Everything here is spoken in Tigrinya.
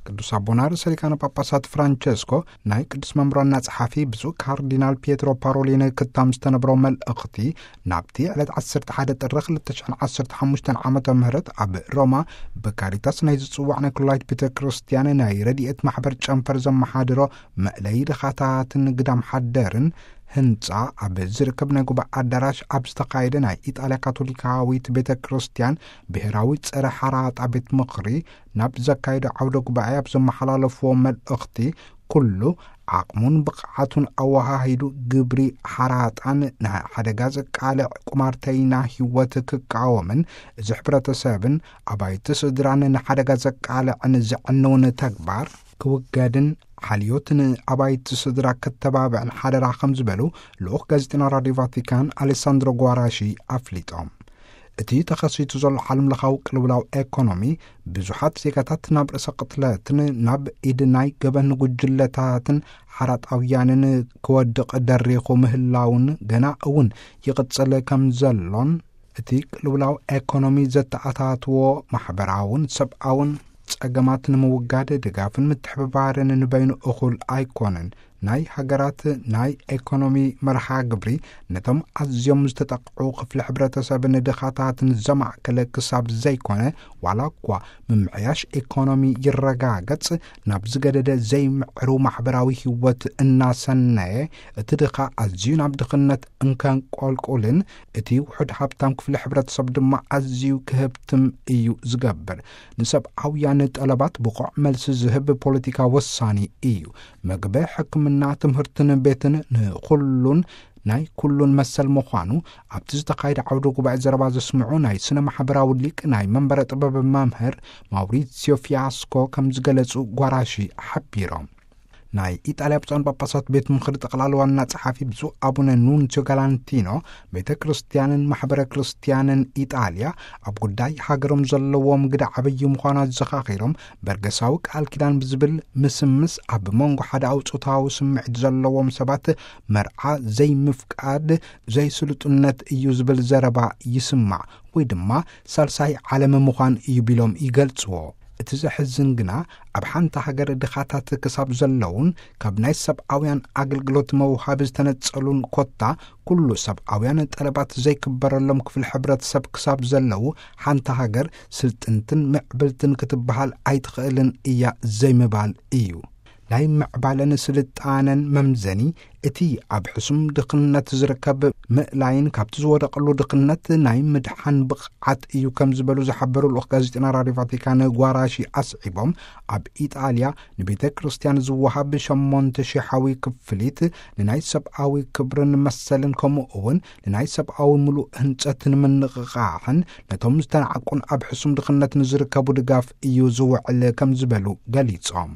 ቅዱስ ኣቦና ርእሰ ሊቃነ ጳጳሳት ፍራንቸስኮ ናይ ቅዱስ መምሮና ጸሓፊ ብፁዕ ካርዲናል ፒየትሮ ፓሮሊን ክታም ዝተነብሮ መልእኽቲ፣ ናብቲ ዕለት ዓሰርተ ሓደ ጥሪ ክልተ ሽሕን ዓሰርተ ሓሙሽተን ዓመተ ምህረት ኣብ ሮማ ብካሪታስ ናይ ዝጽዋዕ ናይ ኩላይት ቤተ ክርስቲያን ናይ ረድኤት ማሕበር ጨንፈር ዘመሓድሮ መእለይ ድኻታትን ግዳም ሓደርን ህንጻ ኣብ ዝርከብ ናይ ጉባኤ ኣዳራሽ ኣብ ዝተኻየደ ናይ ኢጣልያ ካቶሊካዊት ቤተ ክርስቲያን ብሔራዊ ጸረ ሓራጣ ቤት ምኽሪ ናብ ዘካየዶ ዓውደ ጉባኤ ኣብ ዘመሓላለፍዎ መልእኽቲ፣ ኩሉ ዓቕሙን ብቕዓቱን ኣወሃሂዱ ግብሪ ሓራጣን ንሓደጋ ዘቃልዕ ቁማርተይና ህይወት ክቃወምን፣ እዚ ሕብረተሰብን ኣባይቲ ስድራን ንሓደጋ ዘቃልዕን ዘዕንውን ተግባር ክውገድን ሓልዮትን ኣባይቲ ስድራ ክተባብዕን ሓደራ ከም ዝበሉ ልኡኽ ጋዜጠና ራድዮ ቫቲካን ኣሌሳንድሮ ጓራሺ ኣፍሊጦም። እቲ ተኸሲቱ ዘሎ ዓለም ለኻዊ ቅልውላው ኤኮኖሚ ብዙሓት ዜጋታት ናብ ርእሰ ቅትለትን ናብ ኢድ ናይ ገበን ጉጅለታትን ሓራጣውያንን ክወድቕ ደሪኹ ምህላውን ገና እውን ይቕጽል ከም ዘሎን፣ እቲ ቅልውላው ኤኮኖሚ ዘተኣታትዎ ማሕበራውን ሰብኣውን ጸገማት ንምውጋድ ድጋፍን ምትሕብባርን ንበይኑ እኹል ኣይኮነን። ናይ ሃገራት ናይ ኤኮኖሚ መርሃ ግብሪ ነቶም ኣዝዮም ዝተጠቕዑ ክፍሊ ሕብረተሰብን ድኻታትን ዘማእከለ ክሳብ ዘይኮነ፣ ዋላ እኳ ምምዕያሽ ኤኮኖሚ ይረጋገጽ፣ ናብ ዝገደደ ዘይምዕሩ ማሕበራዊ ህይወት እናሰነየ፣ እቲ ድኻ ኣዝዩ ናብ ድኽነት እንከንቆልቁልን፣ እቲ ውሑድ ሃብታም ክፍሊ ሕብረተሰብ ድማ ኣዝዩ ክህብትም እዩ ዝገብር። ንሰብኣውያን ጠለባት ብቑዕ መልሲ ዝህብ ፖለቲካ ወሳኒ እዩ። መግቢ፣ ሕክምና፣ ትምህርትን ቤትን ንኹሉን ናይ ኩሉን መሰል ምዃኑ ኣብቲ ዝተኻየደ ዓውደ ጉባኤ ዘረባ ዘስምዑ ናይ ስነ ማሕበራዊ ሊቅ ናይ መንበረ ጥበብ መምህር ማውሪሲዮ ፊያስኮ ከም ዝገለጹ ጓራሺ ሓቢሮም። ናይ ኢጣልያ ብፁዓን ጳጳሳት ቤት ምኽሪ ጠቕላላ ዋና ጸሓፊ ብፁዕ ኣቡነ ኑንሲዮ ጋላንቲኖ፣ ቤተ ክርስቲያንን ማሕበረ ክርስቲያንን ኢጣልያ ኣብ ጉዳይ ሃገሮም ዘለዎም ግደ ዓብዪ ምዃኑ ኣዘኻኺሮም፣ በርገሳዊ ቃል ኪዳን ብዝብል ምስምስ ኣብ መንጎ ሓደ ኣውጾታዊ ስምዒት ዘለዎም ሰባት መርዓ ዘይምፍቃድ ዘይስሉጥነት እዩ ዝብል ዘረባ ይስማዕ፣ ወይ ድማ ሳልሳይ ዓለም ምዃን እዩ ቢሎም ይገልጽዎ። እቲ ዘሕዝን ግና፣ ኣብ ሓንቲ ሃገር ድኻታት ክሳብ ዘለውን ካብ ናይ ሰብኣውያን ኣገልግሎት መውሃቢ ዝተነጸሉን ኮታ ኩሉ ሰብኣውያን ጠለባት ዘይክበረሎም ክፍሊ ሕብረተሰብ ክሳብ ዘለዉ፣ ሓንቲ ሃገር ስልጥንትን ምዕብልትን ክትበሃል ኣይትኽእልን እያ ዘይምባል እዩ። ናይ ምዕባለን ስልጣነን መምዘኒ፣ እቲ ኣብ ሕሱም ድኽነት ዝርከብ ምእላይን ካብቲ ዝወደቐሉ ድኽነት ናይ ምድሓን ብቕዓት እዩ ከም ዝበሉ ዝሓበሩ ልኡኽ ጋዜጠና ራድዮ ቫቲካን ጓራሺ ኣስዒቦም፣ ኣብ ኢጣልያ ንቤተ ክርስቲያን ዝወሃብ ሸሞንተ ሽሓዊ ክፍሊት ንናይ ሰብኣዊ ክብርን መሰልን ከምኡ እውን ንናይ ሰብኣዊ ምሉእ ህንጸት ንምንቕቓሕን ነቶም ዝተናዕቁን ኣብ ሕሱም ድኽነት ንዝርከቡ ድጋፍ እዩ ዝውዕል ከም ዝበሉ ገሊጾም።